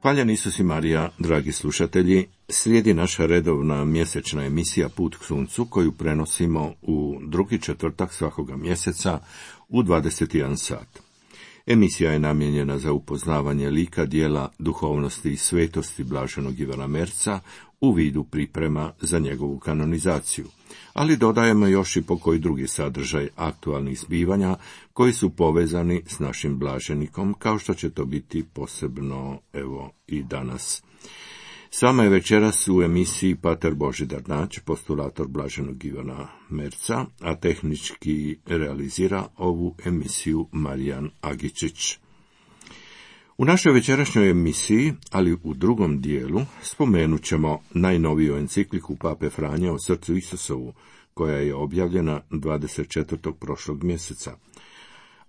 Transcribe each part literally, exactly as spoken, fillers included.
Hvaljen Isus i Marija, dragi slušatelji, slijedi naša redovna mjesečna emisija Put k suncu, koju prenosimo u drugi četvrtak svakoga mjeseca u dvadeset jedan sat. Emisija je namijenjena za upoznavanje lika, djela, duhovnosti i svetosti blaženog Ivana Merca u vidu priprema za njegovu kanonizaciju, ali dodajemo još i pokoji drugi sadržaj aktualnih zbivanja koji su povezani s našim blaženikom, kao što će to biti posebno evo i danas. S vama je večeras u emisiji pater Božidar Nađ, postulator blaženog Ivana Merca, a tehnički realizira ovu emisiju Marijan Agičić. U našoj večerašnjoj emisiji, ali u drugom dijelu, spomenut ćemo najnoviju encikliku Pape Franje o srcu Isusovu, koja je objavljena dvadeset četvrtog prošlog mjeseca.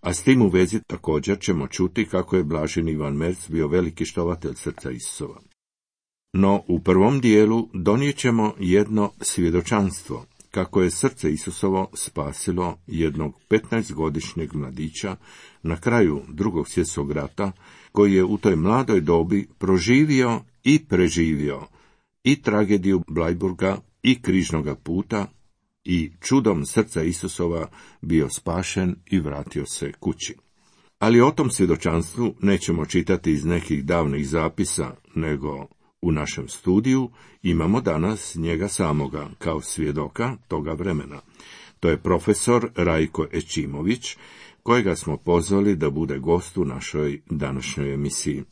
A s tim u vezi također ćemo čuti kako je blaženi Ivan Merc bio veliki štovatelj srca Isusova. No u prvom dijelu donijet ćemo jedno svjedočanstvo, kako je srce Isusovo spasilo jednog petnaestogodišnjeg mladića na kraju Drugog svjetskog rata, koji je u toj mladoj dobi proživio i preživio i tragediju Blajburga i križnoga puta i čudom srca Isusova bio spašen i vratio se kući. Ali o tom svjedočanstvu nećemo čitati iz nekih davnih zapisa, nego u našem studiju imamo danas njega samoga kao svjedoka toga vremena. To je profesor Rajko Ećimović, kojega smo pozvali da bude gost u našoj današnjoj emisiji.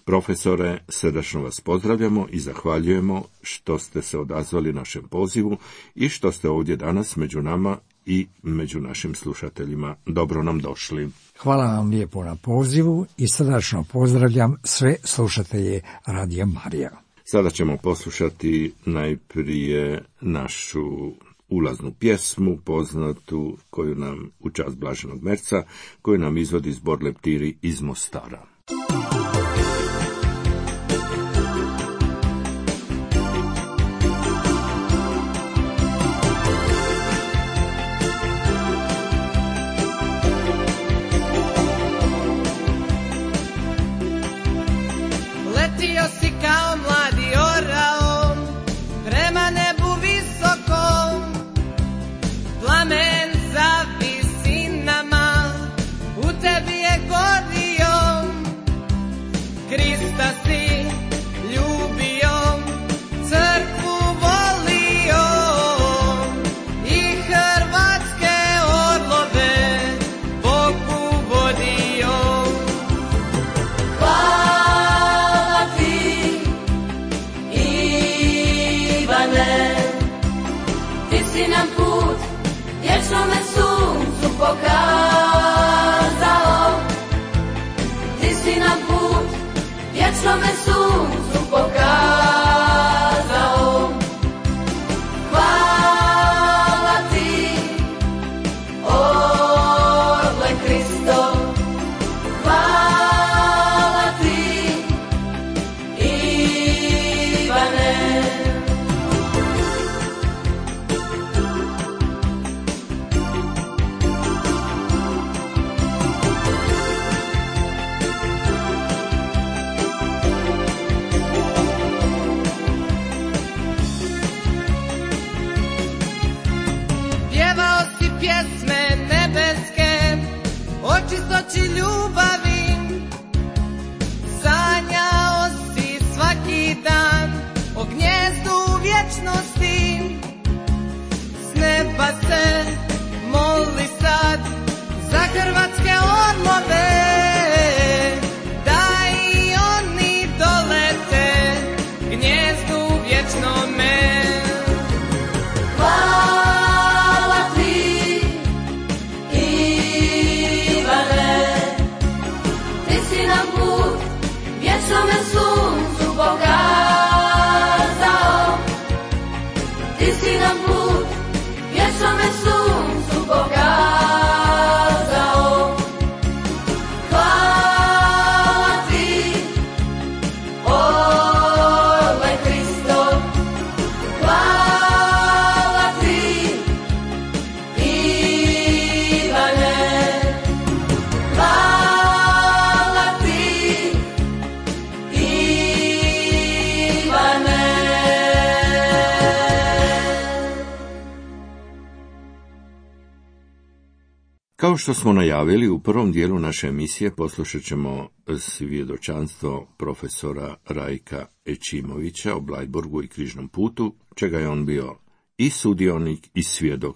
Profesore, srdačno vas pozdravljamo i zahvaljujemo što ste se odazvali našem pozivu i što ste ovdje danas među nama i među našim slušateljima. Dobro nam došli. Hvala vam lijepo na pozivu i srdačno pozdravljam sve slušatelje Radija Marija. Sada ćemo poslušati najprije našu ulaznu pjesmu, poznatu, koju nam u čast blaženog Merca, koju nam izvodi zbor Leptiri iz Mostara. Letio si kao mladi orao prema nebu visokom, plamen za visinama u tebi je gorio. Krista si ljubio, crkvu volio i hrvatske orlove Bogu vodio. Hvala ti, Ivane, ti si nam put vječnome suncu pokazao. Ti si nam put vječnome suncu pokazao. Hvala ti, orle Kristo, hvala ti, Ivane. Pjevao si pjesme nebeske o čistoći ljubavi, sanjao si svaki dan o gnjezdu vječnosti. S neba se moli sad za hrvatske orlove, da i oni dolete gnjezdu vječnome. Hvala ti, Ivane, ti si nam put vječnome suncu pokazao. Ti si nam put vječnome suncu pokazao. Kao što smo najavili, u prvom dijelu naše emisije poslušat ćemo svjedočanstvo profesora Rajka Ećimovića o Bleiburgu i Križnom putu, čega je on bio i sudionik i svjedok,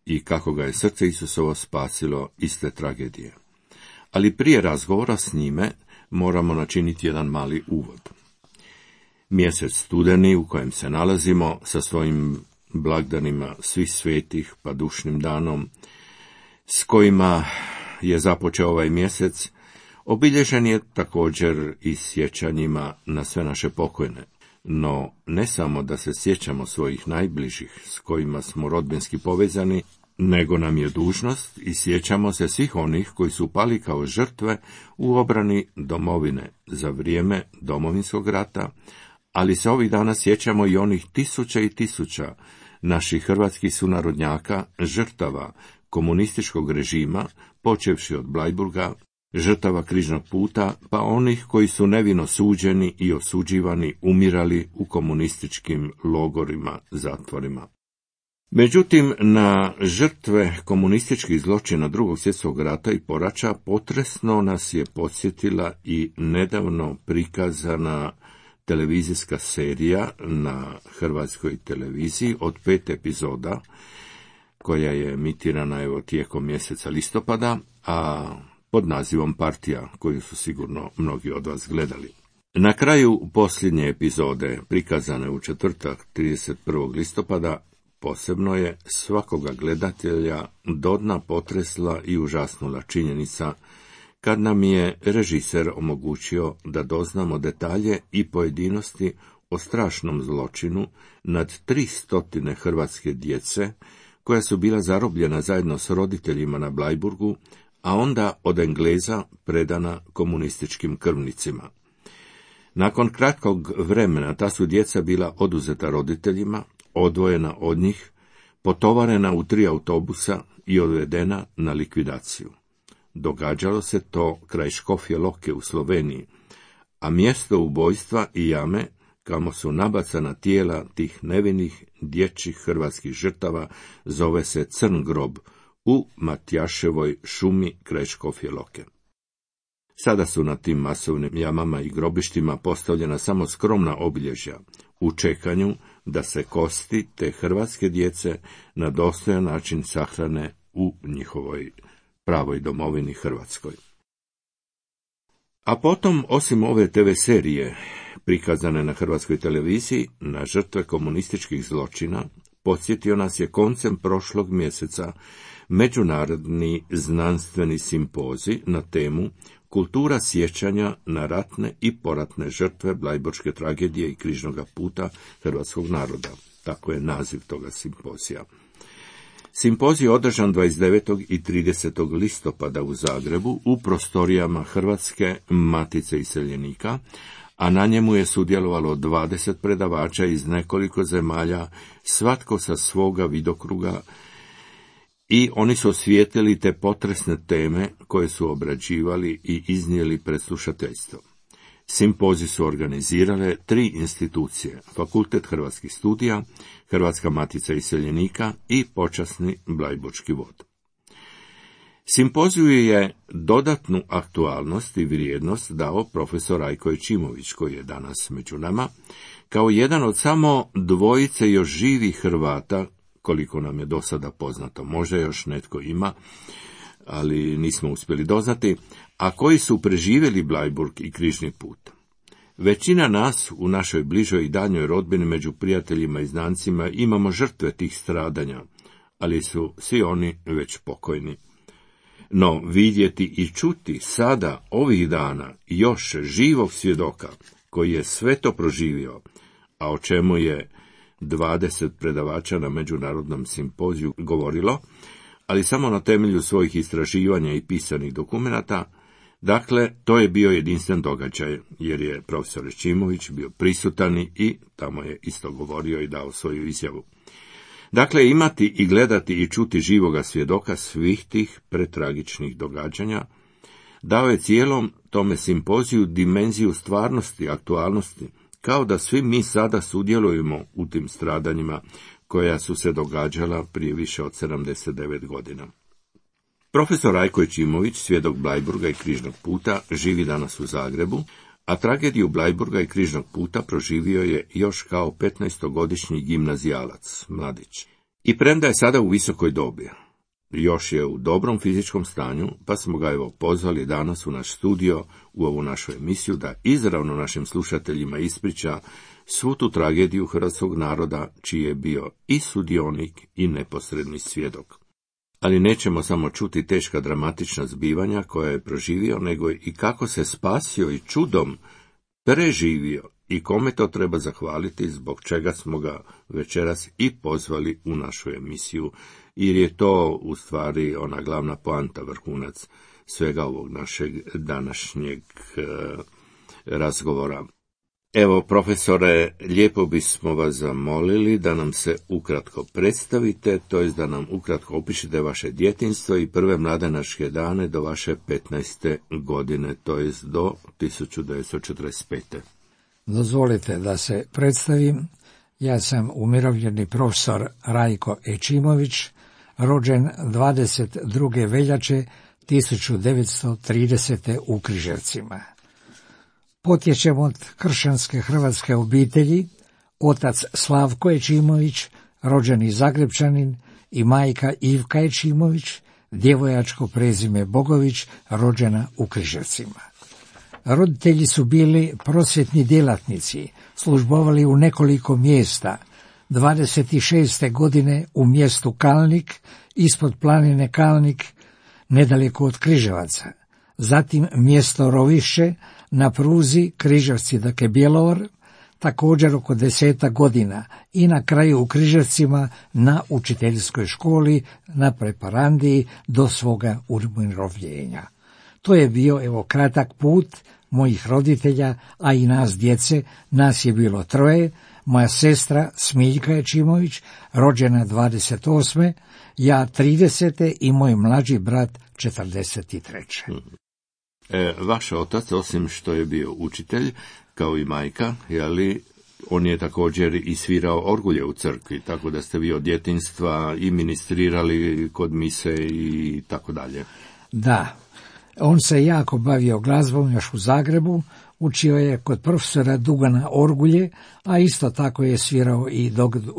i kako ga je srce Isusovo spasilo iz te tragedije. Ali prije razgovora s njime moramo načiniti jedan mali uvod. Mjesec studeni u kojem se nalazimo sa svojim blagdanima svih svetih pa dušnim danom, s kojima je započeo ovaj mjesec, obilježen je također i sjećanjima na sve naše pokojne. No, ne samo da se sjećamo svojih najbližih s kojima smo rodbinski povezani, nego nam je dužnost i sjećamo se svih onih koji su pali kao žrtve u obrani domovine za vrijeme Domovinskog rata, ali se ovih dana sjećamo i onih tisuća i tisuća naših hrvatskih sunarodnjaka, žrtava komunističkog režima, počevši od Bleiburga, žrtava Križnog puta, pa onih koji su nevino suđeni i osuđivani umirali u komunističkim logorima, zatvorima. Međutim, na žrtve komunističkih zločina Drugog svjetskog rata i poraća potresno nas je podsjetila i nedavno prikazana televizijska serija na hrvatskoj televiziji od pet epizoda, koja je emitirana evo tijekom mjeseca listopada, a pod nazivom Partija, koju su sigurno mnogi od vas gledali. Na kraju posljednje epizode, prikazane u četvrtak trideset prvog listopada, posebno je svakoga gledatelja do dna potresla i užasnula činjenica kad nam je režiser omogućio da doznamo detalje i pojedinosti o strašnom zločinu nad tri stotine hrvatske djece koja su bila zarobljena zajedno s roditeljima na Bleiburgu, a onda od Engleza predana komunističkim krvnicima. Nakon kratkog vremena ta su djeca bila oduzeta roditeljima, odvojena od njih, potovarena u tri autobusa i odvedena na likvidaciju. Događalo se to kraj Škofje Loke u Sloveniji, a mjesto ubojstva i jame kamo su nabacana tijela tih nevinih dječjih hrvatskih žrtava zove se Crn grob u Matjaševoj šumi kraj Škofje Loke. Sada su na tim masovnim jamama i grobištima postavljena samo skromna obilježja, u čekanju da se kosti te hrvatske djece na dostojan način sahrane u njihovoj pravoj domovini Hrvatskoj. A potom, osim ove te ve serije, prikazane na hrvatskoj televiziji, na žrtve komunističkih zločina, podsjetio nas je koncem prošlog mjeseca međunarodni znanstveni simpozij na temu Kultura sjećanja na ratne i poratne žrtve Bleiburške tragedije i Križnoga puta hrvatskog naroda. Tako je naziv toga simpozija. Simpozij je održan dvadeset devetog i tridesetog listopada u Zagrebu u prostorijama Hrvatske matice iseljenika, a na njemu je sudjelovalo dvadeset predavača iz nekoliko zemalja, svatko sa svoga vidokruga, i oni su osvijetlili te potresne teme koje su obrađivali i iznijeli pred slušateljstvo. Simpozij su organizirale tri institucije: Fakultet hrvatskih studija, Hrvatska matica iseljenika i počasni Bleiburški vod. Simpoziju je dodatnu aktualnost i vrijednost dao profesor Rajko Ećimović, koji je danas među nama, kao jedan od samo dvojice još živih Hrvata, koliko nam je do sada poznato. Možda još netko ima, ali nismo uspjeli doznati, a koji su preživjeli Bleiburg i Križni put. Većina nas u našoj bližoj i daljnjoj rodbini među prijateljima i znancima imamo žrtve tih stradanja, ali su svi oni već pokojni. No vidjeti i čuti sada, ovih dana, još živog svjedoka koji je sve to proživio, a o čemu je dvadeset predavača na međunarodnom simpoziju govorilo, ali samo na temelju svojih istraživanja i pisanih dokumenata. Dakle, to je bio jedinstven događaj, jer je profesor Ećimović bio prisutan i tamo je isto govorio i dao svoju izjavu. Dakle, imati i gledati i čuti živoga svjedoka svih tih pretragičnih događanja dao je cijelom tome simpoziju dimenziju stvarnosti, aktualnosti, kao da svi mi sada sudjelujemo u tim stradanjima koja su se događala prije više od sedamdeset devet godina. Profesor Rajko Ećimović, svjedok Bleiburga i križnog puta, živi danas u Zagrebu, a tragediju Bleiburga i križnog puta proživio je još kao petnaestogodišnji gimnazijalac, mladić. I premda je sada u visokoj dobi, još je u dobrom fizičkom stanju, pa smo ga evo pozvali danas u naš studio, u ovu našu emisiju, da izravno našim slušateljima ispriča svu tu tragediju hrvatskog naroda, čiji je bio i sudionik i neposredni svjedok. Ali nećemo samo čuti teška dramatična zbivanja koja je proživio, nego i kako se spasio i čudom preživio i kome to treba zahvaliti, zbog čega smo ga večeras i pozvali u našu emisiju, jer je to u stvari ona glavna poanta, vrhunac svega ovog našeg današnjeg e, razgovora. Evo, profesore, lijepo bismo vas zamolili da nam se ukratko predstavite, to jest da nam ukratko opišete vaše djetinjstvo i prve mladenačke dane do vaše petnaeste godine, to jest do tisuću devetsto četrdeset pete. Dozvolite da se predstavim. Ja sam umirovljeni profesor Rajko Ećimović, rođen dvadeset druge veljače tisuću devetsto tridesete u Križevcima. Potječem od kršćanske hrvatske obitelji, otac Slavko Ećimović, rođeni Zagrebčanin, i majka Ivka Ećimović, djevojačko prezime Bogović, rođena u Križevcima. Roditelji su bili prosvjetni djelatnici, službovali u nekoliko mjesta. dvadeset šeste godine u mjestu Kalnik, ispod planine Kalnik, nedaleko od Križevaca. Zatim mjesto Rovišće, na pruzi Križevci dakle Bjelovar, također oko deseta godina, i na kraju u Križevcima na učiteljskoj školi, na preparandiji do svoga umirovljenja. To je bio evo kratak put mojih roditelja, a i nas djece. Nas je bilo troje, moja sestra Smiljka Ećimović, rođena dvadeset osme, ja tridesete i moj mlađi brat četrdeset treće. E, vaš otac, osim što je bio učitelj, kao i majka, jeli, on je također i svirao orgulje u crkvi, tako da ste vi od djetinjstva i ministrirali kod mise i tako dalje. Da, on se jako bavio glazbom još u Zagrebu, učio je kod profesora Dugana orgulje, a isto tako je svirao i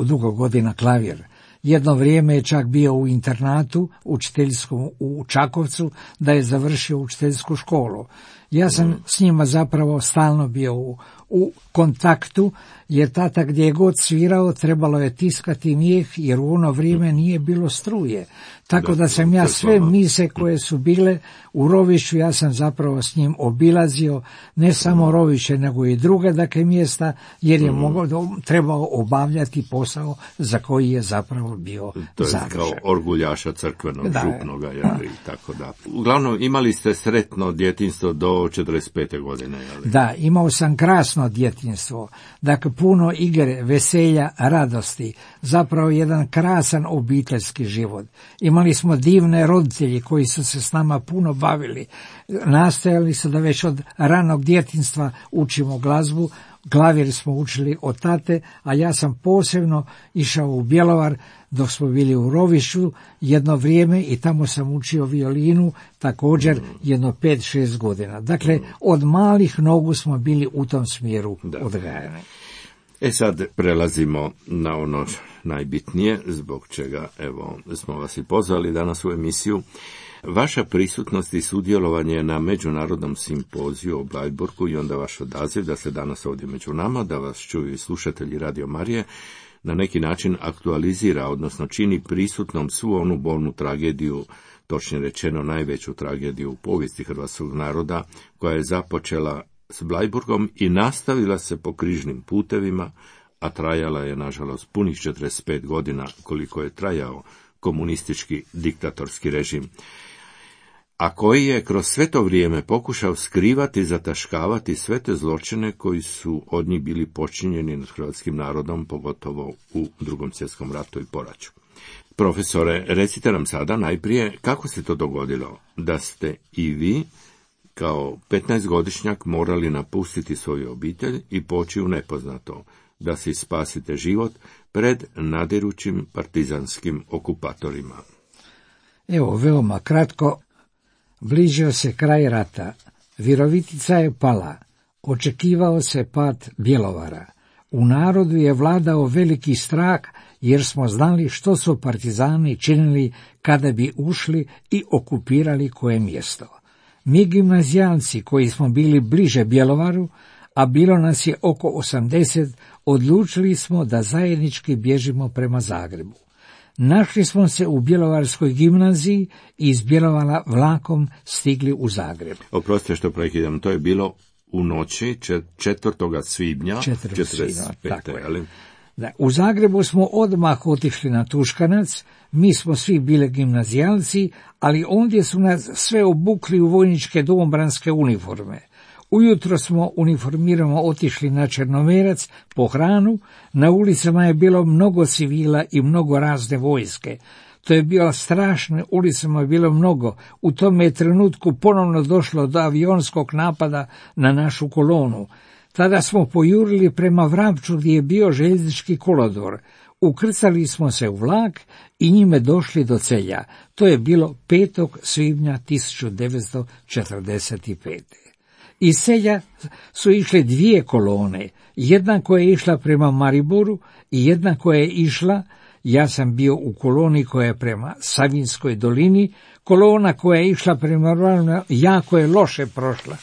dugo godina klavir. Jedno vrijeme je čak bio u internatu učiteljskom u Čakovcu, da je završio učiteljsku školu. Ja sam mm. s njima zapravo stalno bio u, u kontaktu, jer tata gdje je god svirao trebalo je tiskati mijeh, jer u ono vrijeme nije bilo struje. Tako da, da sam ja sve mise koje su bile u Rovišću, ja sam zapravo s njim obilazio, ne samo Rovišće, nego i druge dakle mjesta, jer je mm. mogao, trebao obavljati posao za koji je zapravo bio zadužen. To je kao orguljaša crkvenog, da, župnoga, jel, i tako da. Uglavnom, imali ste sretno djetinjstvo do četrdeset pete godine, jel? Da, imao sam krasno djetinjstvo, dakle puno igre, veselja, radosti, zapravo jedan krasan obiteljski život. Imali smo divne roditelji koji su se s nama puno bavili. Nastojali su da već od ranog djetinjstva učimo glazbu, klavir smo učili od tate, a ja sam posebno išao u Bjelovar dok smo bili u Rovišću jedno vrijeme i tamo sam učio violinu također jedno pet šest godina. Dakle, od malih nogu smo bili u tom smjeru odgajani. E sad prelazimo na ono najbitnije, zbog čega evo smo vas i pozvali danas u emisiju. Vaša prisutnost i sudjelovanje na međunarodnom simpoziju o Bleiburgu i onda vaš odaziv da ste danas ovdje među nama, da vas čuju i slušatelji Radio Marije, na neki način aktualizira, odnosno čini prisutnom svu onu bolnu tragediju, točnije rečeno najveću tragediju u povijesti hrvatskog naroda, koja je započela s Bleiburgom i nastavila se po križnim putevima, a trajala je, nažalost, punih četrdeset pet godina koliko je trajao komunistički diktatorski režim, a koji je kroz sve to vrijeme pokušao skrivati i zataškavati sve te zločine koji su od njih bili počinjeni nad hrvatskim narodom, pogotovo u Drugom svjetskom ratu i poraću. Profesore, recite nam sada najprije kako se to dogodilo da ste i vi kao petnaestogodišnjak morali napustiti svoju obitelj i poći u nepoznato, da si spasite život pred nadirućim partizanskim okupatorima. Evo, veoma kratko, bližio se kraj rata, Virovitica je pala, očekivao se pad Bjelovara. U narodu je vladao veliki strah, jer smo znali što su partizani činili kada bi ušli i okupirali koje mjesto. Mi gimnazijalci koji smo bili bliže Bjelovaru, a bilo nas je oko osamdeset, odlučili smo da zajednički bježimo prema Zagrebu. Našli smo se u Bjelovarskoj gimnaziji i iz Bjelovara vlakom stigli u Zagreb. Oprostite što prekidam, to je bilo u noći četvrtog svibnja četrdeset pete. Ali... Da, u Zagrebu smo odmah otišli na Tuškanac, mi smo svi bili gimnazijalci, ali ondje su nas sve obukli u vojničke domobranske uniforme. Ujutro smo uniformirano otišli na Črnomerac po hranu, na ulicama je bilo mnogo civila i mnogo razne vojske. To je bilo strašno, ulicama je bilo mnogo. U tome je trenutku ponovno došlo do avionskog napada na našu kolonu. Tada smo pojurili prema Vrapču gdje je bio željeznički kolodvor. Ukrcali smo se u vlak i njime došli do Celja. To je bilo petog svibnja tisuću devetsto četrdeset pete. Iz Celja su išle dvije kolone, jedna koja je išla prema Mariboru i jedna koja je išla, ja sam bio u koloni koja je prema Savinskoj dolini, kolona koja je išla prema Ravnu jako je loše prošla.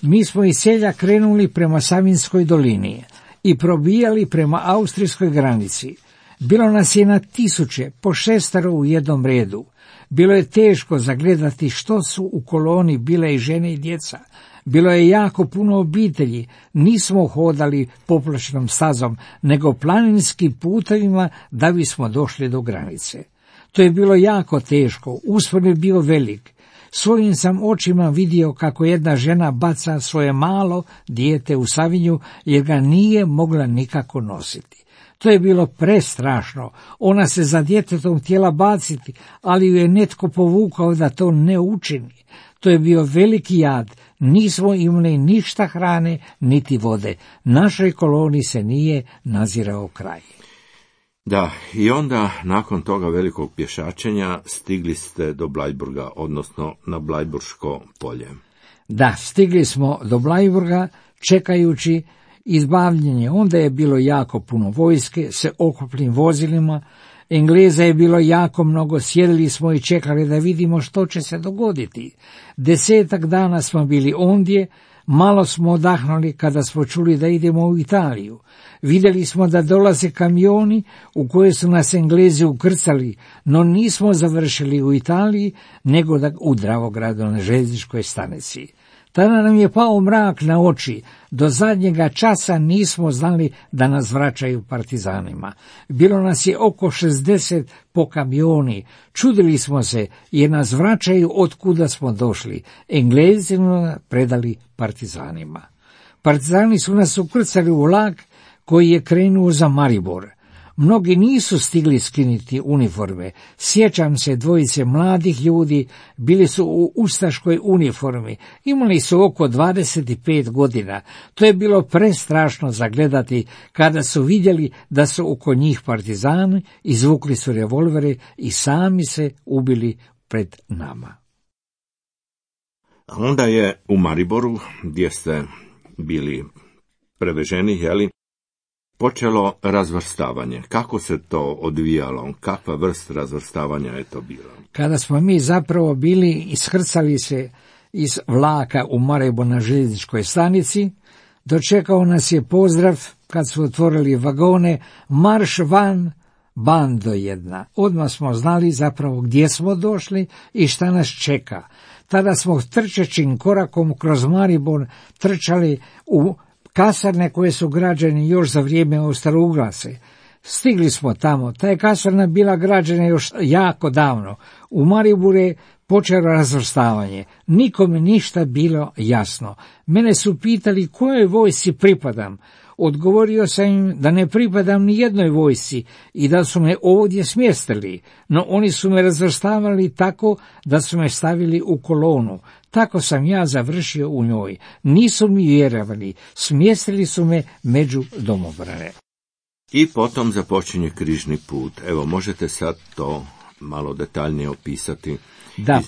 Mi smo iz Celja krenuli prema Savinskoj dolini i probijali prema austrijskoj granici. Bilo nas je na tisuće, po šestero u jednom redu. Bilo je teško zagledati što su u koloni bile i žene i djeca. Bilo je jako puno obitelji, nismo hodali popločnom stazom, nego planinskim putevima da bismo došli do granice. To je bilo jako teško, uspon je bio velik. Svojim sam očima vidio kako jedna žena baca svoje malo dijete u Savinju, jer ga nije mogla nikako nositi. To je bilo prestrašno, ona se za djetetom htjela baciti, ali ju je netko povukao da to ne učini. To je bio veliki jad, nismo imali ništa hrane, niti vode. Našoj koloni se nije nazirao kraj. Da, i onda, nakon toga velikog pješačenja, stigli ste do Bleiburga, odnosno na Bleiburško polje. Da, stigli smo do Bleiburga, čekajući izbavljenje. Onda je bilo jako puno vojske, se oklopnim vozilima, Engleza je bilo jako mnogo, sjedili smo i čekali da vidimo što će se dogoditi. Desetak dana smo bili ondje, malo smo odahnuli kada smo čuli da idemo u Italiju. Vidjeli smo da dolaze kamioni u koje su nas Englezi ukrcali, no nismo završili u Italiji, nego da u Dravogradu na željezničkoj stanici. Tada nam je pao mrak na oči, do zadnjega časa nismo znali da nas vraćaju partizanima. Bilo nas je oko šezdeset po kamioni, čudili smo se jer nas vraćaju od kuda smo došli. Englezi su nas predali partizanima. Partizani su nas ukrcali u vlak koji je krenuo za Maribor. Mnogi nisu stigli skinuti uniforme. Sjećam se dvojice mladih ljudi, bili su u ustaškoj uniformi, imali su oko dvadeset pet godina. To je bilo prestrašno zagledati kada su vidjeli da su oko njih partizani, izvukli su revolvere i sami se ubili pred nama. Onda je u Mariboru, gdje ste bili preveženi, jeli, počelo razvrstavanje. Kako se to odvijalo? Kakva vrst razvrstavanja je to bilo? Kada smo mi zapravo bili ishrcali se iz vlaka u Maribor na željezničkoj stanici, dočekao nas je pozdrav kad su otvorili vagone, marš van, bando jedna. Odmah smo znali zapravo gdje smo došli i šta nas čeka. Tada smo trčećim korakom kroz Maribor trčali u kasarne koje su građene još za vrijeme Austro-Ugrase. Stigli smo tamo, ta je kasarna bila građena još jako davno. U Mariboru je počelo razvrstavanje. Nikome ništa bilo jasno. Mene su pitali kojoj vojsci pripadam. Odgovorio sam im da ne pripadam ni jednoj vojsci i da su me ovdje smjestili, no oni su me razvrstavali tako da su me stavili u kolonu. Tako sam ja završio u njoj. Nisu mi vjerovali, smjestili su me među domobrane. I potom započinje križni put. Evo, možete sad to malo detaljnije opisati? Da,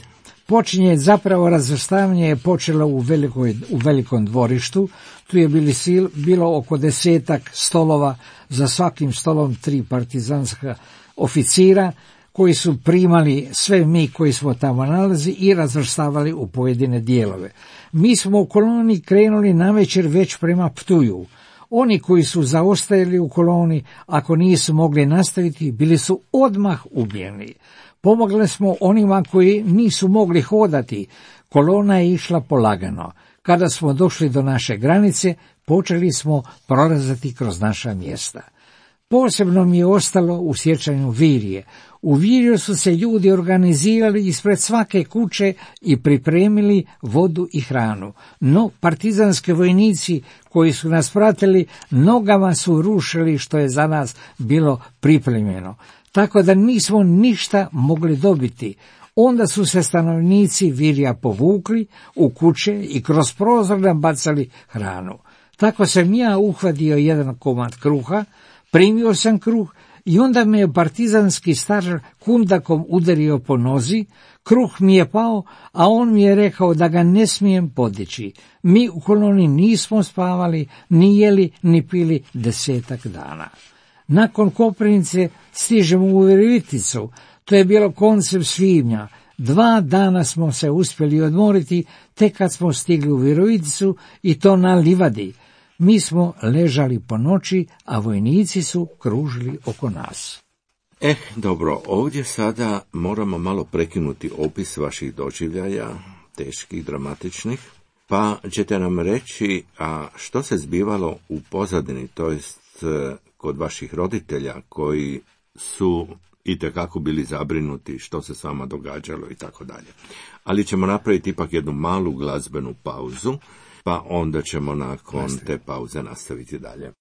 počinje zapravo razvrstavanje je počelo u, velikoj, u velikom dvorištu. Tu je bili sil, bilo oko desetak stolova, za svakim stolom tri partizanska oficira, koji su primali sve mi koji smo tamo nalazi i razvrstavali u pojedine dijelove. Mi smo u koloni krenuli navečer već prema Ptuju. Oni koji su zaostajali u koloni, ako nisu mogli nastaviti, bili su odmah ubijeni. Pomogli smo onima koji nisu mogli hodati. Kolona je išla polagano. Kada smo došli do naše granice, počeli smo prolazati kroz naša mjesta. Posebno mi je ostalo u sjećanju Virije. U Virju su se ljudi organizirali ispred svake kuće i pripremili vodu i hranu. No, partizanski vojnici koji su nas pratili, nogama su rušili što je za nas bilo pripremljeno. Tako da nismo ništa mogli dobiti. Onda su se stanovnici Virja povukli u kuće i kroz prozor nam bacali hranu. Tako sam ja uhvatio jedan komad kruha, primio sam kruh i onda me je partizanski staržar kundakom udario po nozi, kruh mi je pao, a on mi je rekao da ga ne smijem podići. Mi u koloni nismo spavali, ni jeli, ni pili desetak dana. Nakon Koprivnice stižemo u Viroviticu, to je bilo koncem svibnja. Dva dana smo se uspjeli odmoriti, tek kad smo stigli u Viroviticu i to na livadi. Mi smo ležali po noći, a vojnici su kružili oko nas. Eh, dobro, ovdje sada moramo malo prekinuti opis vaših doživljaja, teških, dramatičnih, pa ćete nam reći, a što se zbivalo u pozadini, to jest kod vaših roditelja koji su itekako bili zabrinuti što se s vama događalo i tako dalje. Ali ćemo napraviti ipak jednu malu glazbenu pauzu, pa onda ćemo nakon te pauze nastaviti dalje.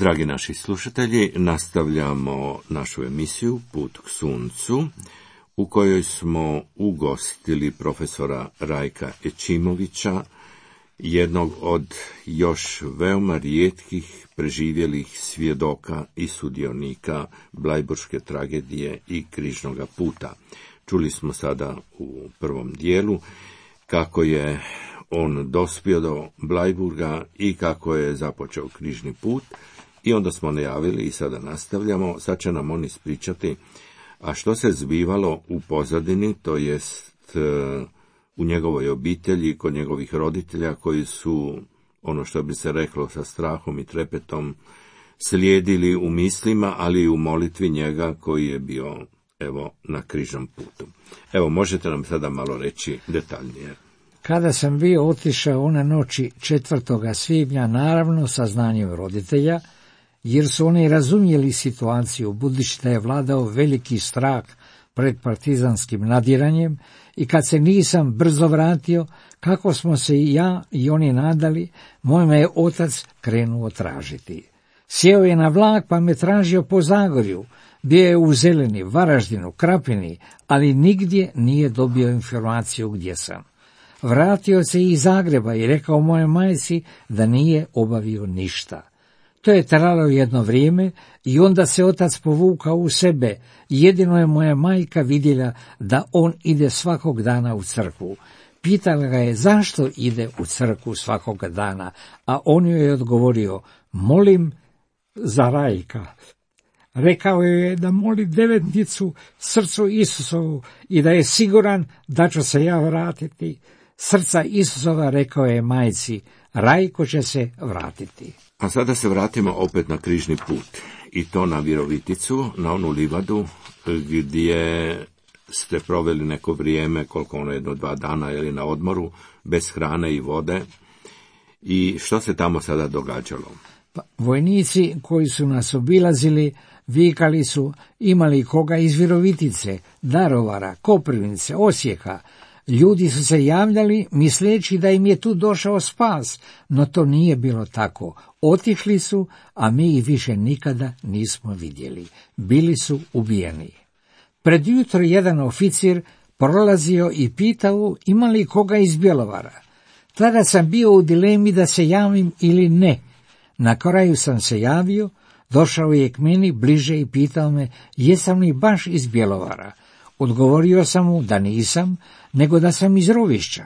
Dragi naši slušatelji, nastavljamo našu emisiju Put k suncu, u kojoj smo ugostili profesora Rajka Ećimovića, jednog od još veoma rijetkih preživjelih svjedoka i sudionika blajburške tragedije i križnoga puta. Čuli smo sada u prvom dijelu kako je on dospio do Blajburga i kako je započeo križni put, i onda smo najavili i sada nastavljamo. Sad će nam on ispričati, a što se zbivalo u pozadini, to jest u njegovoj obitelji, kod njegovih roditelja koji su, ono što bi se reklo, sa strahom i trepetom slijedili u mislima, ali i u molitvi njega koji je bio, evo, na križnom putu. Evo, možete nam sada malo reći detaljnije. Kada sam bio otišao one noći četvrtoga svibnja, naravno sa znanjem roditelja, jer su oni razumjeli situaciju, budući da je vladao veliki strah pred partizanskim nadiranjem, i kad se nisam brzo vratio, kako smo se i ja i oni nadali, moj me je otac krenuo tražiti. Sjeo je na vlak pa me tražio po Zagorju, bio je u Zeleni, Varaždinu, Krapini, ali nigdje nije dobio informaciju gdje sam. Vratio se iz Zagreba i rekao moje majci da nije obavio ništa. To je trajalo jedno vrijeme i onda se otac povukao u sebe. Jedino je moja majka vidjela da on ide svakog dana u crkvu. Pitala ga je zašto ide u crkvu svakog dana, a on joj je odgovorio, molim za Rajka. Rekao je da moli devetnicu srcu Isusovu i da je siguran da ću se ja vratiti. Srca Isusova, rekao je majci, Rajko će se vratiti. A sada se vratimo opet na križni put, i to na Viroviticu, na onu livadu gdje ste proveli neko vrijeme, koliko ono jedno dva dana, ili na odmoru, bez hrane i vode. I što se tamo sada događalo? Pa, vojnici koji su nas obilazili vikali su, imali koga iz Virovitice, Darovara, Koprivnice, Osijeka. Ljudi su se javljali misleći da im je tu došao spas, no to nije bilo tako. Otišli su, a mi ih više nikada nismo vidjeli. Bili su ubijeni. Pred jutro jedan oficir prolazio i pitao ima li koga iz Bjelovara. Tada sam bio u dilemi da se javim ili ne. Na kraju sam se javio, došao je k meni bliže i pitao me jesam li baš iz Bjelovara. Odgovorio sam mu da nisam, nego da sam iz Rovišća.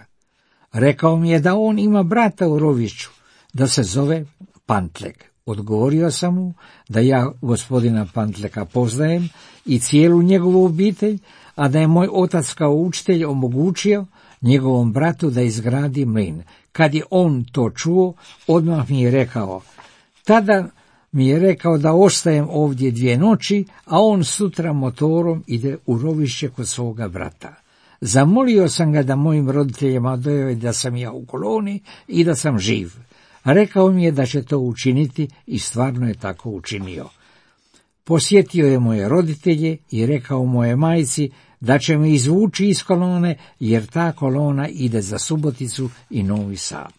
Rekao mi je da on ima brata u Rovišću, da se zove Pantlek. Odgovorio sam mu da ja gospodina Pantleka poznajem i cijelu njegovu obitelj, a da je moj otac kao učitelj omogućio njegovom bratu da izgradi mlin. Kad je on to čuo, odmah mi je rekao, tada mi je rekao da ostajem ovdje dvije noći, a on sutra motorom ide u Rovišće kod svoga brata. Zamolio sam ga da mojim roditeljima dojavi da sam ja u koloni i da sam živ. Rekao mi je da će to učiniti i stvarno je tako učinio. Posjetio je moje roditelje i rekao moje majci da će me izvući iz kolone, jer ta kolona ide za Suboticu i Novi Sad.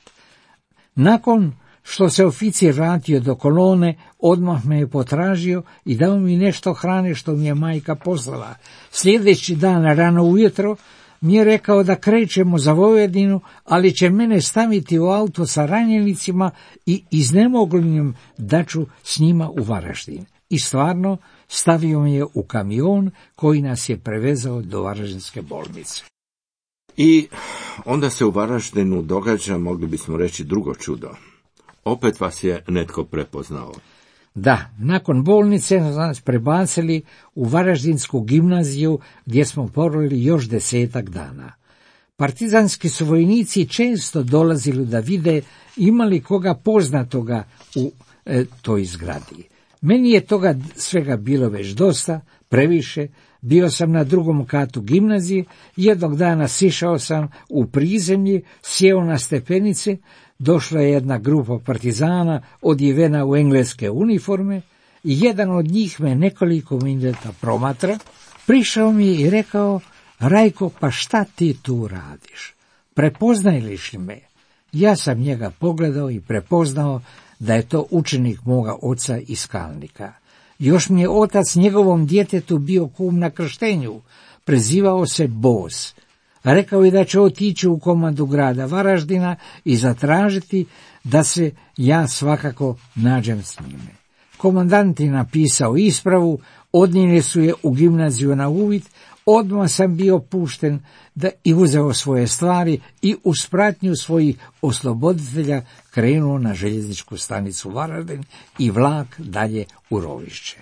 Nakon što se oficir vratio do kolone, odmah me je potražio i dao mi nešto hrane što mi je majka poslala. Sljedeći dan rano ujutro mi je rekao da krećemo za Vojvodinu, ali će mene staviti u auto sa ranjenicima i iznemoglim da ću s njima u Varaždin. I stvarno stavio mi je u kamion koji nas je prevezao do Varaždinske bolnice. I onda se u Varaždinu događa, mogli bismo reći, drugo čudo. Opet vas je netko prepoznao. Da, nakon bolnice nas prebacili u Varaždinsku gimnaziju gdje smo proveli još desetak dana. Partizanski su vojnici često dolazili da vide imali koga poznatoga u e, toj zgradi. Meni je toga svega bilo već dosta, previše. Bio sam na drugom katu gimnazije, jednog dana sišao sam u prizemlje, sjeo na stepenice, došla je jedna grupa partizana odjevena u engleske uniforme i jedan od njih me nekoliko minuta promatra, prišao mi i rekao, Rajko, pa šta ti tu radiš? Prepoznaješ li me? Ja sam njega pogledao i prepoznao da je to učenik moga oca iz Kalnika. Još mi je otac njegovom djetetu bio kum na krštenju, prezivao se Boz. Rekao je da će otići u komandu grada Varaždina i zatražiti da se ja svakako nađem s njime. Komandant je napisao ispravu, odnijeli su je u gimnaziju na uvid, odmah sam bio pušten da i uzeo svoje stvari i uz pratnju svojih osloboditelja krenuo na željezničku stanicu Varaždin i vlak dalje u Rovišće.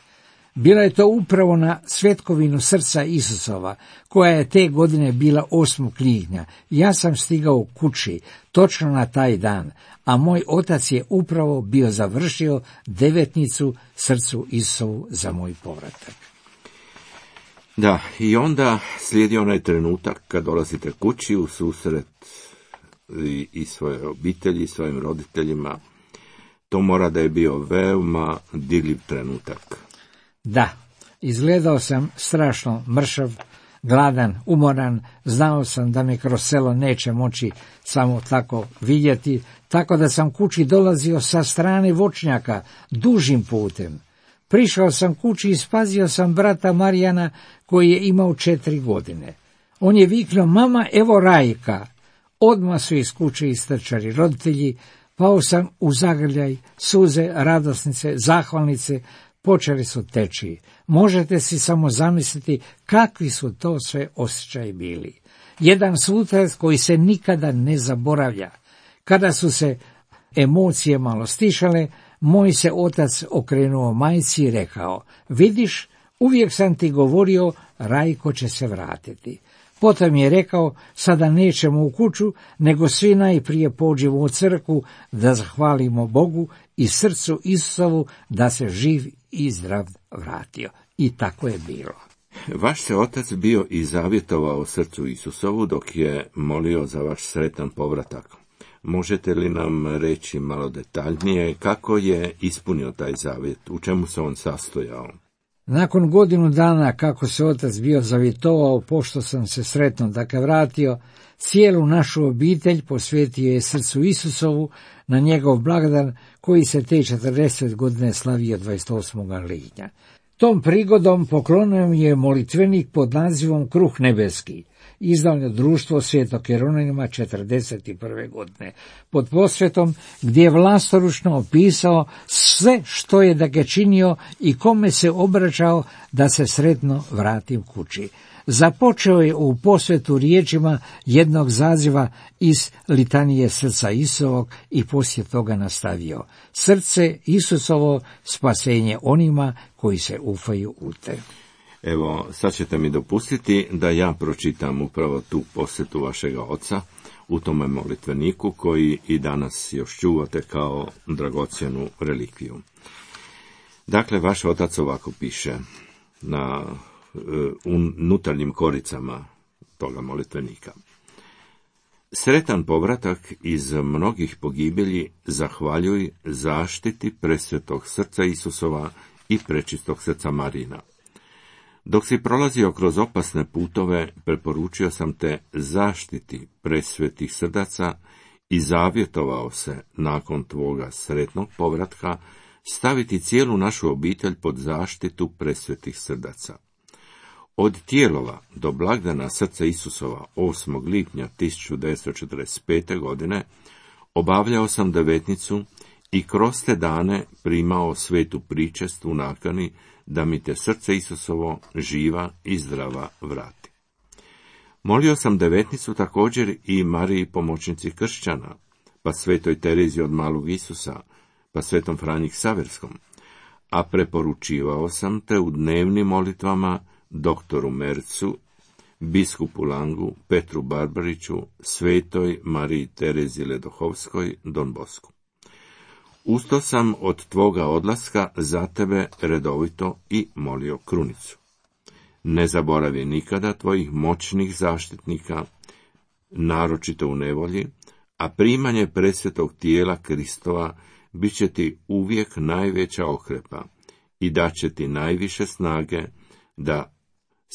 Bila je to upravo na svetkovinu srca Isusova, koja je te godine bila osmog lipnja. Ja sam stigao kući točno na taj dan, a moj otac je upravo bio završio devetnicu srcu Isusovu za moj povratak. Da, i onda slijedi onaj trenutak kad dolazite kući u susret i, i svoje obitelji, i svojim roditeljima. To mora da je bio veoma dirljiv trenutak. Da, izgledao sam strašno mršav, gladan, umoran, znao sam da me kroz selo neće moći samo tako vidjeti, tako da sam kući dolazio sa strane voćnjaka, dužim putem. Prišao sam kući i spazio sam brata Marijana koji je imao četiri godine. On je viknuo: mama, evo Rajka. Odmah su iz kuće istrčali roditelji, pao sam u zagrljaj, suze, radosnice, zahvalnice, počeli su teći. Možete si samo zamisliti kakvi su to sve osjećaji bili. Jedan susret koji se nikada ne zaboravlja. Kada su se emocije malo stišale, moj se otac okrenuo majci i rekao: vidiš, uvijek sam ti govorio, Rajko će se vratiti. Potom je rekao: sada nećemo u kuću, nego svi najprije pođemo u crkvu da zahvalimo Bogu i srcu Isusovu da se živ i zdrav vratio. I tako je bilo. Vaš se otac bio i zavjetovao srcu Isusovu dok je molio za vaš sretan povratak. Možete li nam reći malo detaljnije kako je ispunio taj zavjet, u čemu se on sastojao? Nakon godinu dana kako se otac bio zavjetovao, pošto sam se sretno dakle vratio, cijelu našu obitelj posvetio je srcu Isusovu na njegov blagdan koji se te četrdeset godine slavio dvadeset osmog lipnja. Tom prigodom poklonio mi je molitvenik pod nazivom Kruh nebeski, izdano društvo Svetog Jeronima četrdeset prve godine, pod posvetom gdje je vlastoručno opisao sve što je da ga činio i kome se obraćao da se sretno vratim kući. Započeo je u posvetu riječima jednog zaziva iz litanije srca Isusovog i poslije toga nastavio: srce Isusovo, spasenje onima koji se ufaju u te. Evo, sad ćete mi dopustiti da ja pročitam upravo tu posjetu vašega oca u tome molitveniku koji i danas još čuvate kao dragocjenu relikviju. Dakle, vaš otac ovako piše na unutarnjim koricama toga molitvenika: sretan povratak iz mnogih pogibelji, zahvaljuj zaštiti presvetog srca Isusova i prečistog srca Marina. Dok si prolazio kroz opasne putove, preporučio sam te zaštiti presvetih srdaca i zavjetovao se nakon tvoga sretnog povratka staviti cijelu našu obitelj pod zaštitu presvetih srdaca. Od Tijelova do blagdana srca Isusova osmog lipnja tisuću devetsto četrdeset pete. godine obavljao sam devetnicu i kroz te dane primao svetu pričest u nakani da mi te srce Isusovo živa i zdrava vrati. Molio sam devetnicu također i Mariji pomoćnici kršćana, pa svetoj Terezi od Malog Isusa, pa svetom Franji Ksaverskom, a preporučivao sam te u dnevnim molitvama doktoru Mercu, biskupu Langu, Petru Barbariću, svetoj Mariji Terezi Ledohovskoj, Don Bosku. Usto sam od tvoga odlaska za tebe redovito i molio krunicu. Ne zaboravi nikada tvojih moćnih zaštitnika, naročito u nevolji, a primanje presvetog tijela Kristova bit će ti uvijek najveća okrepa i daće ti najviše snage da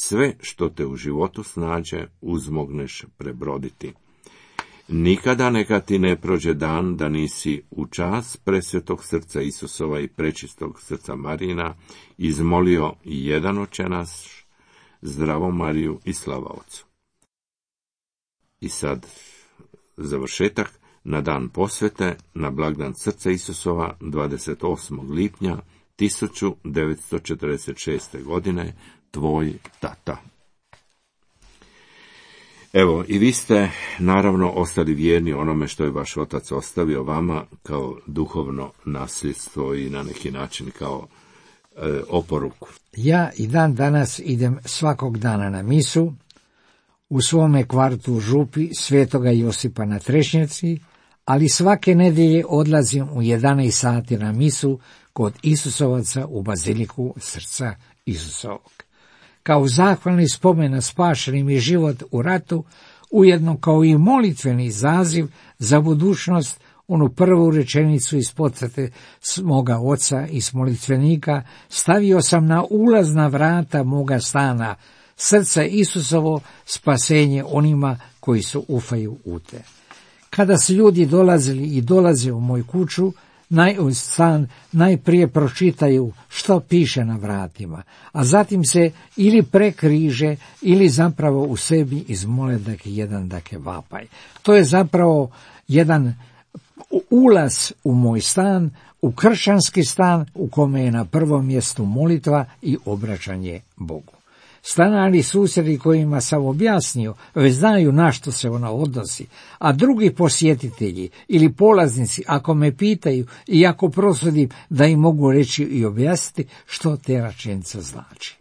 sve što te u životu snađe uzmogneš prebroditi. Nikada neka ti ne prođe dan da nisi u čast presvetog srca Isusova i prečistog srca Marijina izmolio jedan Oče naš, Zdravo Mariju i slava Otcu. I sad završetak. Na dan posvete, na blagdan srca Isusova, dvadeset osmog lipnja tisuću devetsto četrdeset šeste. godine, tvoj tata. Evo, i vi ste naravno ostali vjerni onome što je vaš otac ostavio vama kao duhovno nasljedstvo i na neki način kao e, oporuku. Ja i dan danas idem svakog dana na misu u svome kvartu u Župi Svetoga Josipa na Trešnjevci, ali svake nedjelje odlazim u jedanaest sati na misu kod Isusovaca u Baziliku srca Isusovog. Kao zahvalni spomen na spašeni mi život u ratu, ujedno kao i molitveni zaziv za budućnost, onu prvu rečenicu iz podsjete moga oca iz molitvenika stavio sam na ulazna vrata moga stana, srce Isusovo, spasenje onima koji su ufaju u te. Kada su ljudi dolazili i dolaze u moju kuću, naj, u stan, najprije pročitaju što piše na vratima, a zatim se ili prekriže ili zapravo u sebi izmole dakle jedan dakle vapaj. To je zapravo jedan ulaz u moj stan, u kršćanski stan u kome je na prvom mjestu molitva i obraćanje Bogu. Stanari susjedi kojima sam objasnio već znaju na što se ona odnosi, a drugi posjetitelji ili polaznici ako me pitaju i ako prosudim da im mogu reći i objasniti što te rečenica znači.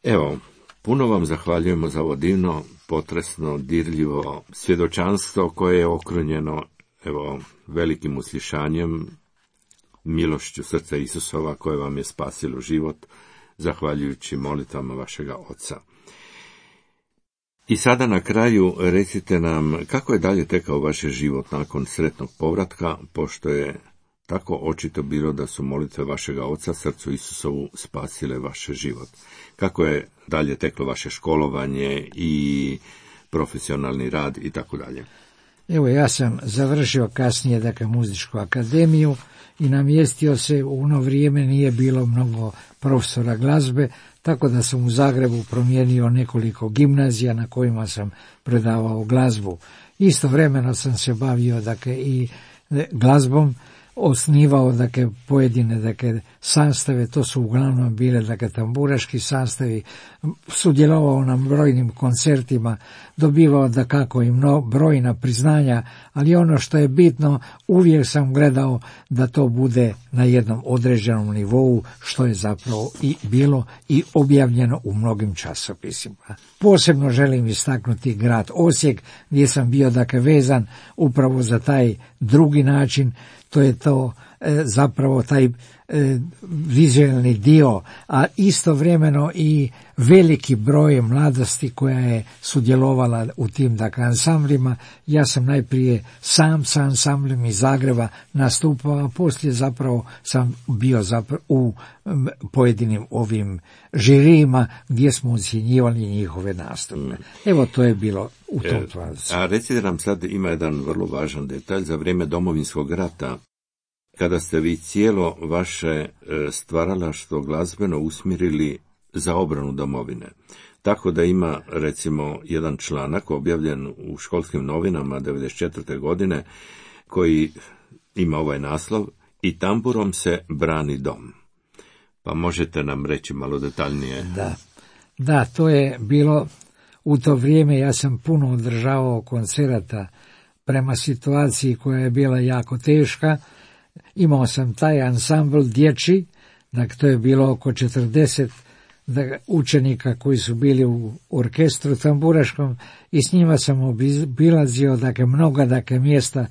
Evo, puno vam zahvaljujemo za ovo divno, potresno, dirljivo svjedočanstvo koje je okrunjeno evo, velikim uslišanjem, milošću srca Isusova koje vam je spasilo život, zahvaljujući molitvama vašega Oca. I sada na kraju recite nam kako je dalje tekao vaš život nakon sretnog povratka, pošto je tako očito bilo da su molitve vašega Oca srcu Isusovu spasile vaš život. Kako je dalje teklo vaše školovanje i profesionalni rad i tako dalje? Evo, ja sam završio kasnije dakle muzičku akademiju i namjestio se, u ono vrijeme nije bilo mnogo profesora glazbe, tako da sam u Zagrebu promijenio nekoliko gimnazija na kojima sam predavao glazbu. Istovremeno sam se bavio dakle i glazbom, osnivao dakle pojedine dakle sastave, to su uglavnom bile dakle tamburaški sastavi, sudjelovao na brojnim koncertima, dobivao dakako i mno, brojna priznanja, ali ono što je bitno, uvijek sam gledao da to bude na jednom određenom nivou, što je zapravo i bilo i objavljeno u mnogim časopisima. Posebno želim istaknuti grad Osijek, gdje sam bio dakle vezan upravo za taj drugi način, to je to e, zapravo taj e, vizualni dio, a istovremeno i veliki broj mladosti koja je sudjelovala u tim dakle ansamblima. Ja sam najprije sam sa ansamblem iz Zagreba nastupao, a poslije zapravo sam bio zapravo u m, pojedinim ovim žirijima gdje smo ocjenjivali njihove nastupe. Evo, to je bilo u tom tvazu. A recite nam sad, ima jedan vrlo važan detalj za vrijeme Domovinskog rata, kada ste vi cijelo vaše stvaralaštvo glazbeno usmjerili za obranu domovine. Tako da ima, recimo, jedan članak objavljen u školskim novinama devedeset četvrte. godine, koji ima ovaj naslov "I tamburom se brani dom". Pa možete nam reći malo detaljnije? Da, da, to je bilo u to vrijeme, ja sam puno održavao koncerata prema situaciji koja je bila jako teška. Imao sam taj ansambl dječji, dakle to je bilo oko četrdeset učenika koji su bili u orkestru tamburaškom i s njima sam obilazio dakle mnoga dakle mjesta.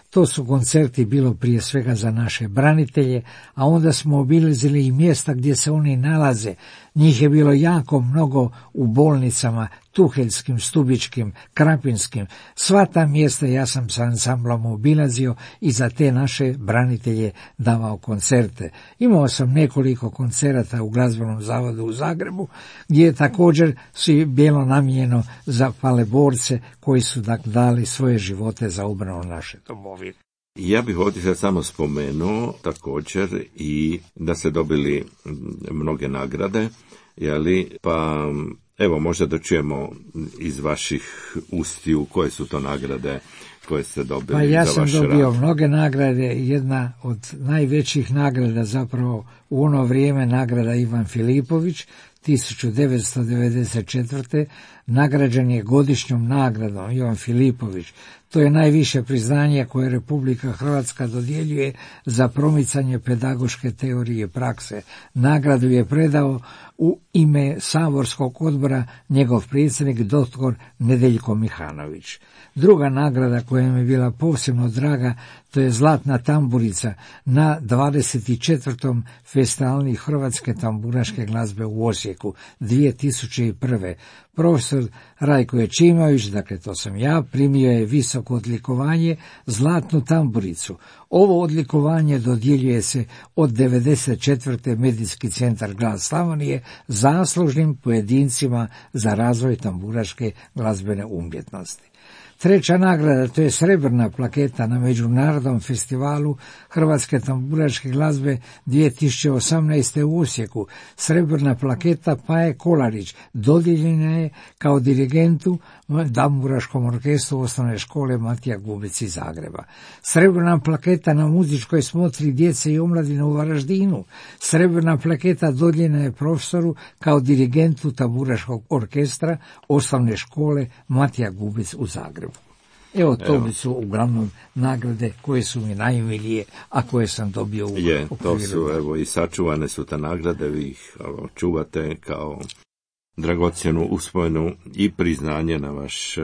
To su koncerti bilo prije svega za naše branitelje, a onda smo obilazili i mjesta gdje se oni nalaze, Njih je bilo jako mnogo u bolnicama, Tuheljskim, Stubičkim, Krapinskim. Sva ta mjesta ja sam sa ansamblom obilazio i za te naše branitelje davao koncerte. Imao sam nekoliko koncerata u glazbenom zavodu u Zagrebu, gdje je također svi bilo namijenjeno za paleborce koji su dakle dali svoje živote za obranu naše domovine. Ja bih ovdje sad samo spomenuo također i da ste dobili mnoge nagrade, jeli, pa evo možda da čujemo iz vaših ustiju koje su to nagrade koje ste dobili. Pa ja za sam vaš dobio rad. mnoge nagrade, jedna od najvećih nagrada zapravo u ono vrijeme nagrada Ivan Filipović, tisuću devetsto devedeset četvrte. nagrađen je godišnjom nagradom Ivan Filipović. To je najviše priznanje koje Republika Hrvatska dodjeljuje za promicanje pedagoške teorije prakse. Nagradu je predao u ime saborskog odbora njegov predsjednik doktor Nedeljko Mihanović. Druga nagrada koja mi je bila posebno draga, to je Zlatna tamburica na dvadeset četvrtom festivalu Hrvatske tamburaške glazbe u Osijeku dvije tisuće prve. Profesor Rajko Ečimović, dakle to sam ja, primio je visoko odlikovanje Zlatnu tamburicu. Ovo odlikovanje dodjeljuje se od devedeset četvrte. Medijski centar Glas Slavonije zaslužnim pojedincima za razvoj tamburaške glazbene umjetnosti. Treća nagrada, to je srebrna plaketa na Međunarodnom festivalu Hrvatske tamburaške glazbe dvije tisuće osamnaeste. u Osijeku. Srebrna plaketa Paje Kolarić dodijeljena je kao dirigentu tamburaškom orkestru osnovne škole Matija Gubec iz Zagreba. Srebrna plaketa na muzičkoj smotri djece i omladine u Varaždinu. Srebrna plaketa dodijeljena je profesoru kao dirigentu tamburaškog orkestra osnovne škole Matija Gubec u Zagrebu. Evo, to Evo. bi su uglavnom nagrade koje su mi najmilije, a koje sam dobio u Je, to okviru. su, evo, i sačuvane su te nagrade, vi ih evo, čuvate kao dragocjenu uspomenu i priznanje na vaš uh,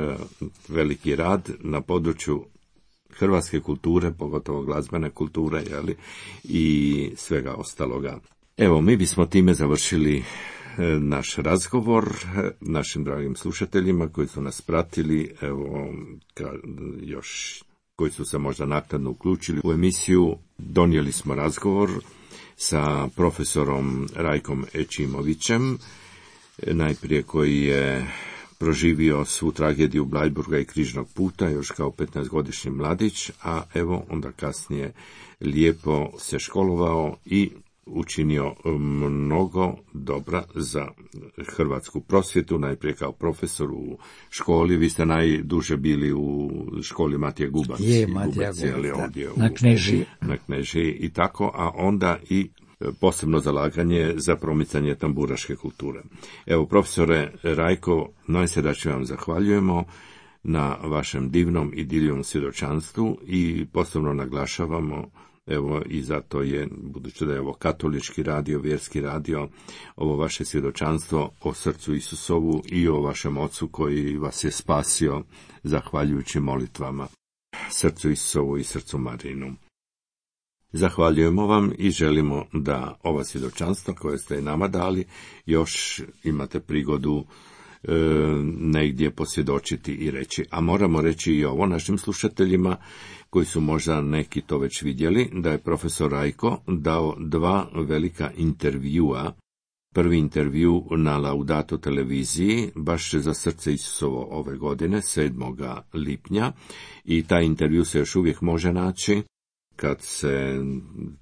veliki rad na području hrvatske kulture, pogotovo glazbene kulture, jeli, i svega ostaloga. Evo, mi bismo time završili naš razgovor našim dragim slušateljima koji su nas pratili, evo, ka, još koji su se možda naknadno uključili u emisiju. Donijeli smo razgovor sa profesorom Rajkom Ečimovićem, najprije koji je proživio svu tragediju Bleiburga i Križnog puta još kao petnaestogodišnji mladić, a evo onda kasnije lijepo se školovao i učinio mnogo dobra za hrvatsku prosvjetu, najprije kao profesor u školi. Vi ste najduže bili u školi Matija Gubac. Je, Matija Gubac, jeli, Gubac, ovdje na u, Knežiji. Na Knežiji i tako, a onda i posebno zalaganje za promicanje tamburaške kulture. Evo, profesore Rajko, najsrdačnije vam zahvaljujemo na vašem divnom i divnom svjedočanstvu i posebno naglašavamo, evo, i zato je, budući da je ovo katolički radio, vjerski radio, ovo vaše svjedočanstvo o srcu Isusovu i o vašem ocu koji vas je spasio zahvaljujući molitvama srcu Isusovu i srcu Marinu. Zahvaljujemo vam i želimo da ova svjedočanstva koje ste nama dali još imate prigodu e, negdje posvjedočiti i reći. A moramo reći i ovo našim slušateljima koji su možda neki to već vidjeli, da je profesor Rajko dao dva velika intervjua. Prvi intervju na Laudato televiziji, baš za srce Isusovo ove godine, sedmog lipnja, i taj intervju se još uvijek može naći kad se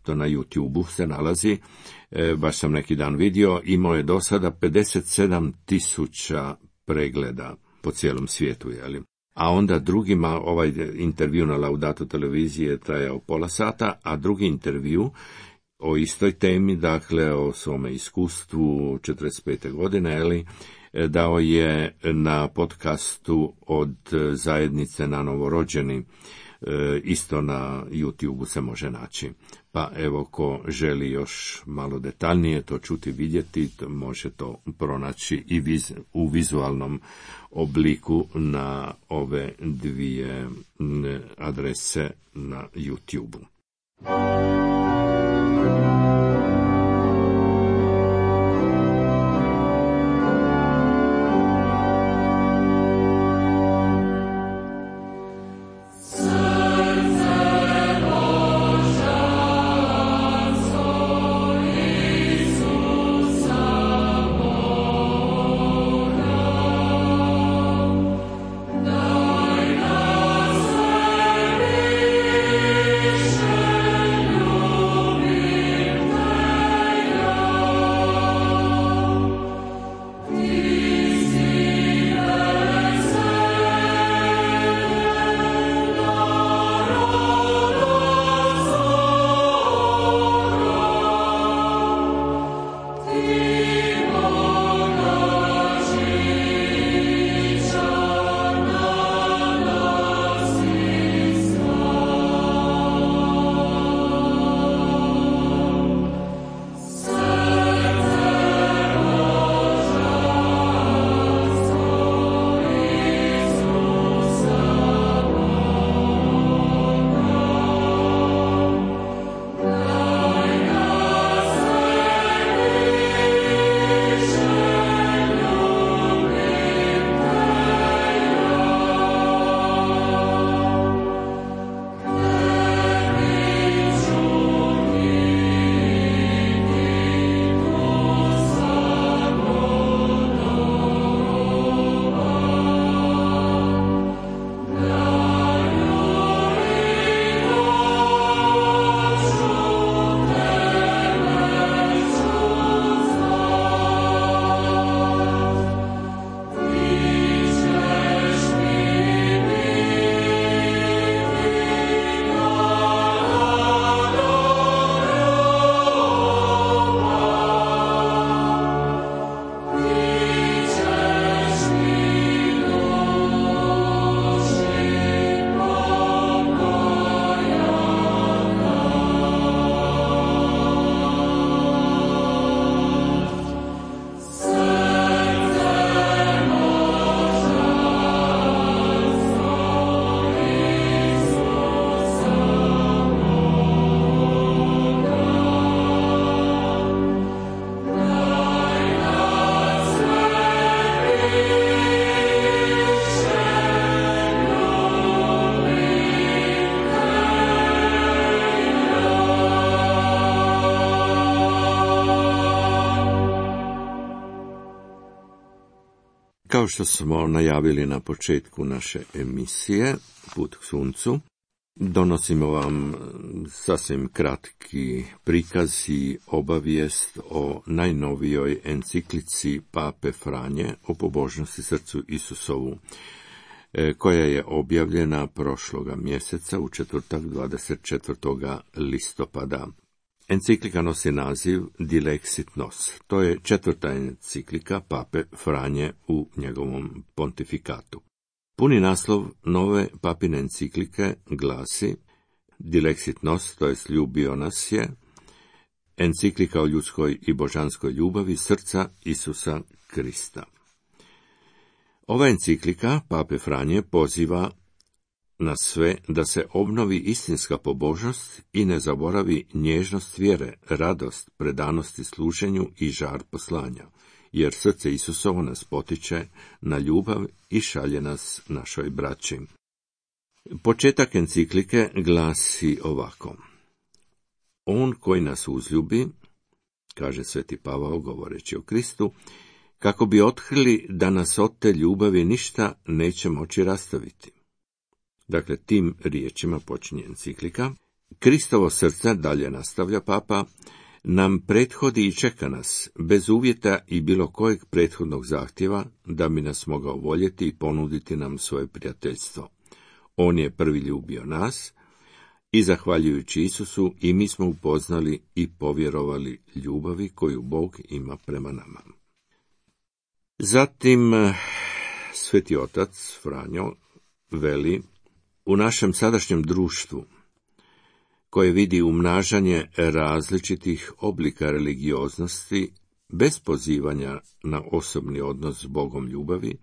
to na YouTubeu se nalazi. E, baš sam neki dan vidio, imao je do sada pedeset sedam tisuća pregleda po cijelom svijetu, jeli? A onda drugima, ovaj intervju na Laudato televiziji je trajao pola sata, a drugi intervju o istoj temi, dakle o svome iskustvu četrdeset pete godine, jeli, dao je na podcastu od zajednice na novorođeni, isto na YouTubeu se može naći. Pa evo, ko želi još malo detaljnije to čuti, vidjeti, može to pronaći i viz, u vizualnom obliku na ove dvije adrese na YouTubeu. što smo najavili na početku naše emisije Put k suncu, donosimo vam sasvim kratki prikaz i obavijest o najnovijoj enciklici Pape Franje o pobožnosti srcu Isusovu, koja je objavljena prošloga mjeseca u četvrtak dvadeset četvrtog listopada. Enciklika nosi naziv Dilexit Nos. To je četvrta enciklika Pape Franje u njegovom pontifikatu. Puni naslov nove papine enciklike glasi Dilexit Nos, to je ljubio nas je, enciklika o ljudskoj i božanskoj ljubavi srca Isusa Krista. Ova enciklika Pape Franje poziva na sve da se obnovi istinska pobožnost i ne zaboravi nježnost vjere, radost, predanosti služenju i žar poslanja, jer srce Isusovo nas potiče na ljubav i šalje nas našoj braći. Početak enciklike glasi ovako. On koji nas uzljubi, kaže sveti Pavao govoreći o Kristu, kako bi otkrili da nas od te ljubavi ništa neće moći rastaviti. Dakle, tim riječima počinje enciklika. Kristovo srce, dalje nastavlja Papa, nam prethodi i čeka nas, bez uvjeta i bilo kojeg prethodnog zahtjeva, da bi nas mogao voljeti i ponuditi nam svoje prijateljstvo. On je prvi ljubio nas i zahvaljujući Isusu i mi smo upoznali i povjerovali ljubavi koju Bog ima prema nama. Zatim, sveti otac Franjo veli, u našem sadašnjem društvu, koje vidi umnažanje različitih oblika religioznosti bez pozivanja na osobni odnos s Bogom ljubavi,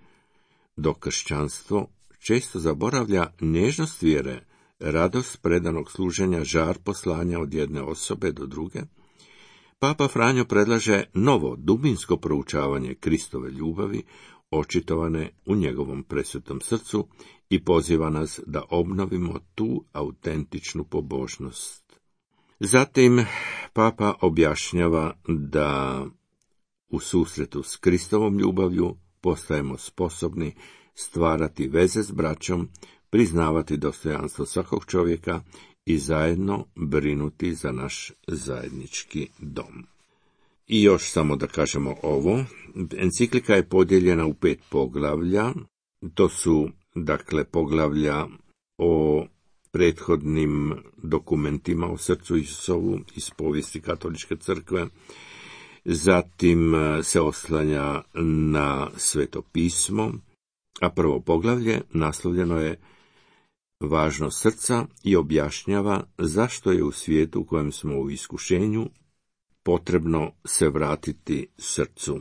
dok kršćanstvo često zaboravlja nježnost vjere, radost predanog služenja, žar poslanja od jedne osobe do druge, Papa Franjo predlaže novo dubinsko proučavanje Kristove ljubavi, očitovane u njegovom presvetom srcu, i poziva nas da obnovimo tu autentičnu pobožnost. Zatim Papa objašnjava da u susretu s Kristovom ljubavlju postajemo sposobni stvarati veze s braćom, priznavati dostojanstvo svakog čovjeka i zajedno brinuti za naš zajednički dom. I još samo da kažemo ovo, enciklika je podijeljena u pet poglavlja, to su dakle poglavlja o prethodnim dokumentima o srcu Isusovu iz povijesti katoličke crkve, zatim se oslanja na Sveto pismo, a prvo poglavlje naslovljeno je Važnost srca i objašnjava zašto je u svijetu u kojem smo u iskušenju potrebno se vratiti srcu.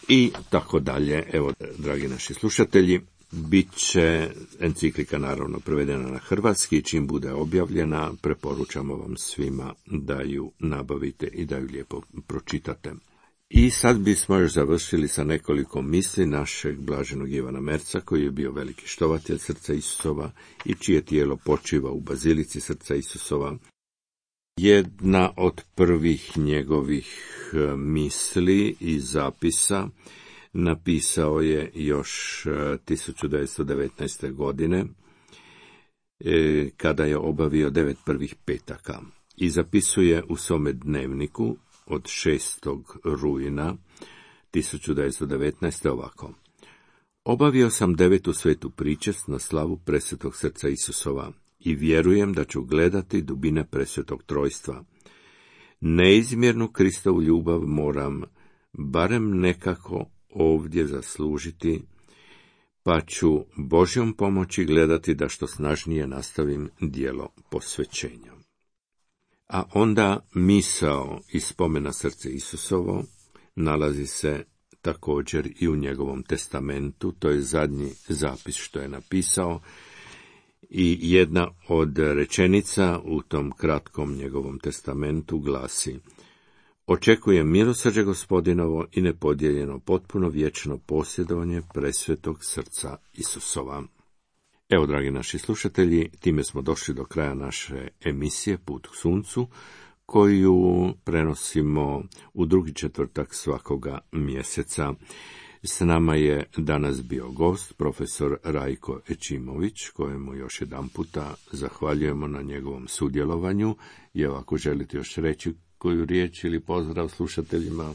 I tako dalje. Evo, dragi naši slušatelji, bit će enciklika naravno prevedena na hrvatski, čim bude objavljena, preporučamo vam svima da ju nabavite i da ju lijepo pročitate. I sad bismo još završili sa nekoliko misli našeg blaženog Ivana Merca, koji je bio veliki štovatelj srca Isusova i čije tijelo počiva u bazilici srca Isusova. Jedna od prvih njegovih misli i zapisa napisao je još tisuću devetsto devetnaeste. godine, kada je obavio devet prvih petaka, i zapisuje u svome dnevniku od šestog rujna tisuću devetsto devetnaeste. ovako. Obavio sam devetu svetu pričest na slavu presvetog srca Isusova i vjerujem da ću gledati dubine presvetog trojstva. Neizmjernu Kristovu ljubav moram barem nekako ovdje zaslužiti, pa ću Božjom pomoći gledati da što snažnije nastavim djelo posvećenja. A onda misao iz spomena srce Isusovo nalazi se također i u njegovom testamentu, to je zadnji zapis što je napisao, i jedna od rečenica u tom kratkom njegovom testamentu glasi: Očekujem milosrđe Gospodinovo i nepodijeljeno potpuno vječno posjedovanje presvetog srca Isusova. Evo, dragi naši slušatelji, time smo došli do kraja naše emisije Put k suncu, koju prenosimo u drugi četvrtak svakoga mjeseca. S nama je danas bio gost, profesor Rajko Ećimović, kojemu još jedan puta zahvaljujemo na njegovom sudjelovanju. I ako želite još reći koju riječ ili pozdrav slušateljima.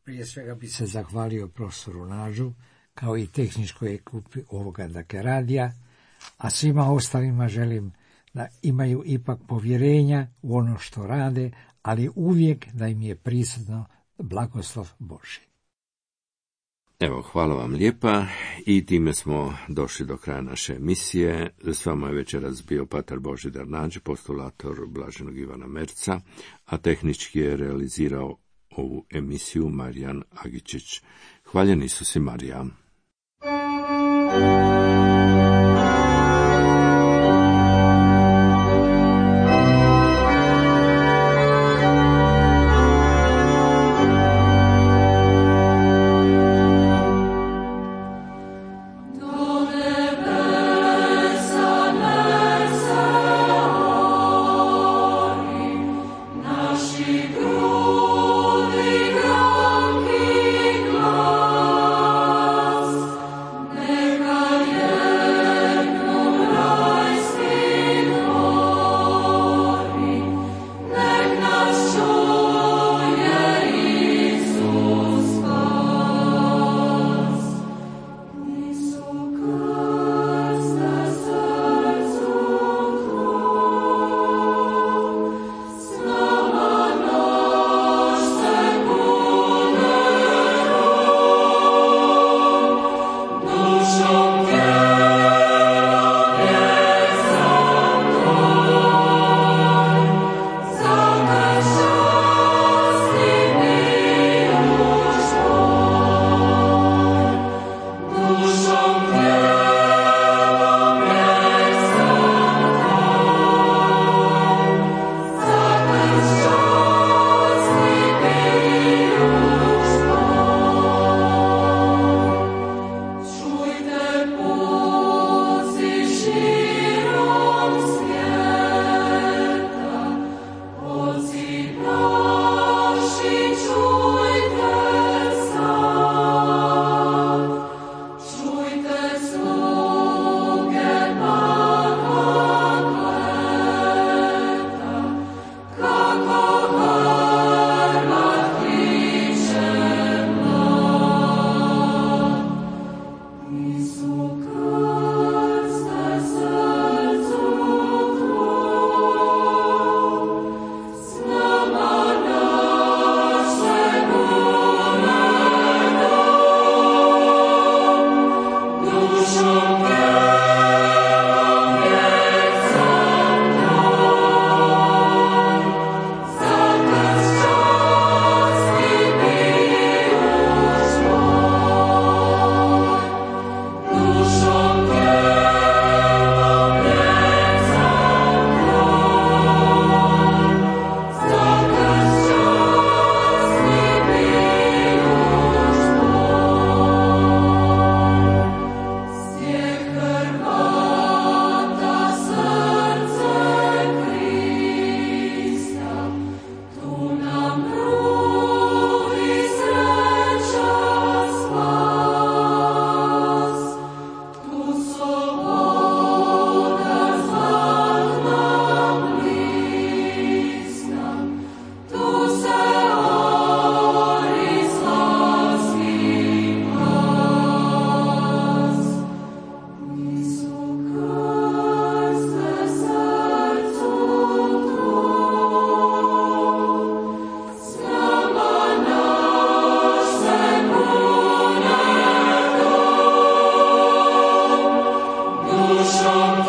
Prije svega bi se zahvalio profesoru Nađu, kao i tehničkoj ekipi ovoga dakle radija, a svima ostalima želim da imaju ipak povjerenja u ono što rade, ali uvijek da im je prisutno blagoslov Božji. Evo, hvala vam lijepa i time smo došli do kraja naše emisije. S vama je večeras bio patar Božidar Nađ, postulator Blaženog Ivana Merca, a tehnički je realizirao ovu emisiju Marijan Agičić. Hvaljen Isus i Marija. Duszą